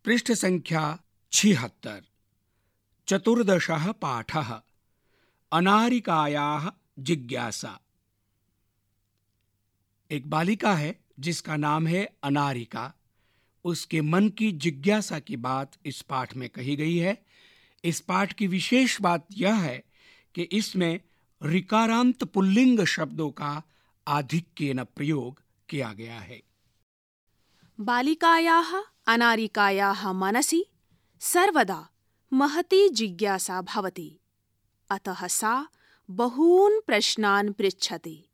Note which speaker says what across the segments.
Speaker 1: पृष्ठसङ्ख्या 76। चतुर्दशः पाठः। अनारिकायाः जिज्ञासा। एक बालिका है जिसका नाम है अनारिका। उसके मन की जिज्ञासा की बात इस पाठ में कही गई है। इस पाठ की विशेष बात यह है कि इसमें ऋकारांत पुल्लिंग शब्दों का आधिक्येन प्रयोग किया गया है।
Speaker 2: बालिकायाः अनारिकायाः मनसि सर्वदा महती जिज्ञासा भवति। अतः सा बहून् प्रश्नान् पृच्छति।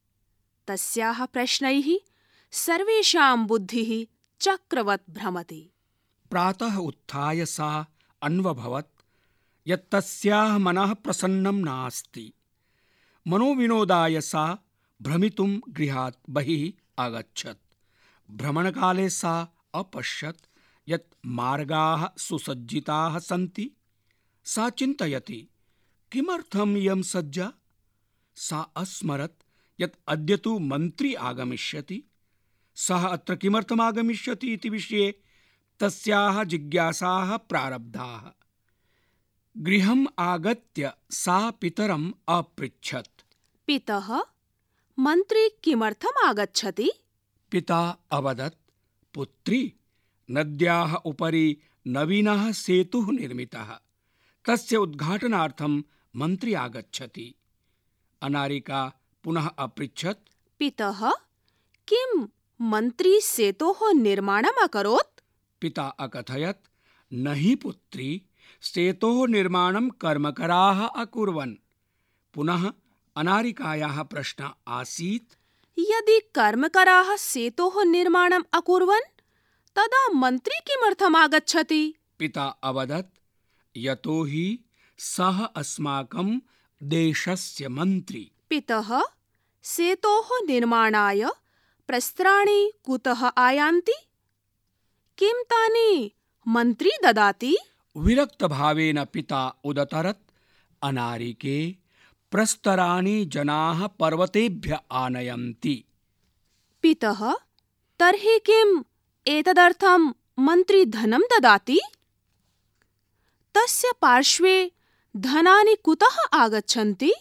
Speaker 2: तस्याः प्रश्नैः सर्वेषां बुद्धिः चक्रवत् भ्रमति।
Speaker 1: प्रातः उत्थाय सा अन्वभवत् यत् तस्याः मनः प्रसन्नं नास्ति। मनोविनोदाय सा भ्रमितुं गृहात् बहिः आगच्छत्। भ्रमणकाले सा अपश्यत् यत् मार्गाः सुसज्जिताः सन्ति। सा चिन्तयति, किमर्थम् इयं सज्जा? सा अस्मरत् यत् अद्य तु मन्त्री आगमिष्यति। सः अत्र किमर्थम् आगमिष्यति इति विषये तस्याः जिज्ञासाः प्रारब्धाः। गृहम् आगत्य सा पितरम् अपृच्छत्।
Speaker 2: पितः, मन्त्री किमर्थम् आगच्छति?
Speaker 1: पिता अवदत्, पुत्री, नद्याः उपरि नवीनः सेतुः निर्मितः। तस्य उद्घाटनार्थं मन्त्री आगच्छति। अनारिका पुनः अपृच्छत्,
Speaker 2: पितः, किं मन्त्री सेतोः निर्माणम् अकरोत्?
Speaker 1: पिता अकथयत्, न हि पुत्री, सेतोः निर्माणं कर्मकराः अकुर्वन्। पुनः अनारिकायाः प्रश्नः आसीत्,
Speaker 2: यदि कर्मकराः सेतोः निर्माणम् अकुर्वन् तदा मन्त्री किमर्थम् आगच्छति?
Speaker 1: पिता अवदत्, यतो हि सः अस्माकं देशस्य मन्त्री।
Speaker 2: पितः, सेतोः निर्माणाय प्रस्त्राणि कुतः आयान्ति? किं तानि मन्त्री ददाति?
Speaker 1: विरक्तभावेन पिता उदतरत्, अनारिके, प्रस्तराणि जनाः पर्वतेभ्यः आनयन्ति।
Speaker 2: पितः, तर्हि किम् एतदर्थं मन्त्री धनं ददाति? तस्य पार्श्वे धनानि कुतः आगच्छन्ति?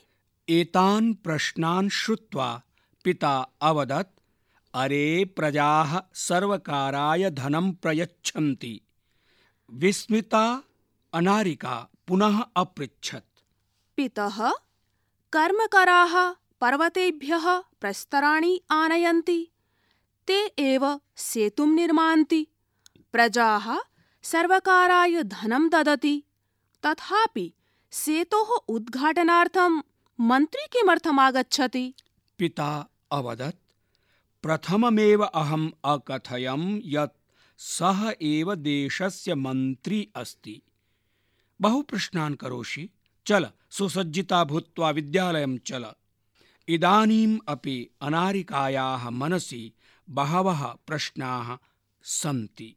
Speaker 1: एतान् प्रश्नान् श्रुत्वा पिता अवदत्, अरे, प्रजाः सर्वकाराय धनं प्रयच्छन्ति। विस्मिता अनारिका पुनः अपृच्छत्,
Speaker 2: पितः, कर्मकराः पर्वतेभ्यः प्रस्तराणि आनयन्ति। ते एव सेतुं निर्मान्ति। प्रजाः सर्वकाराय धनं ददति। तथापि सेतोः उद्घाटनार्थं मन्त्री किमर्थम् आगच्छति?
Speaker 1: पिता अवदत्, प्रथममेव अहम् अकथयं यत् सः एव देशस्य मन्त्री अस्ति। बहु प्रश्नान् करोषि, चल, सुसज्जिता भूत्वा विद्यालयं चल। इदानीम् अपि अनारिकायाः मनसि बहवः प्रश्नाः सन्ति।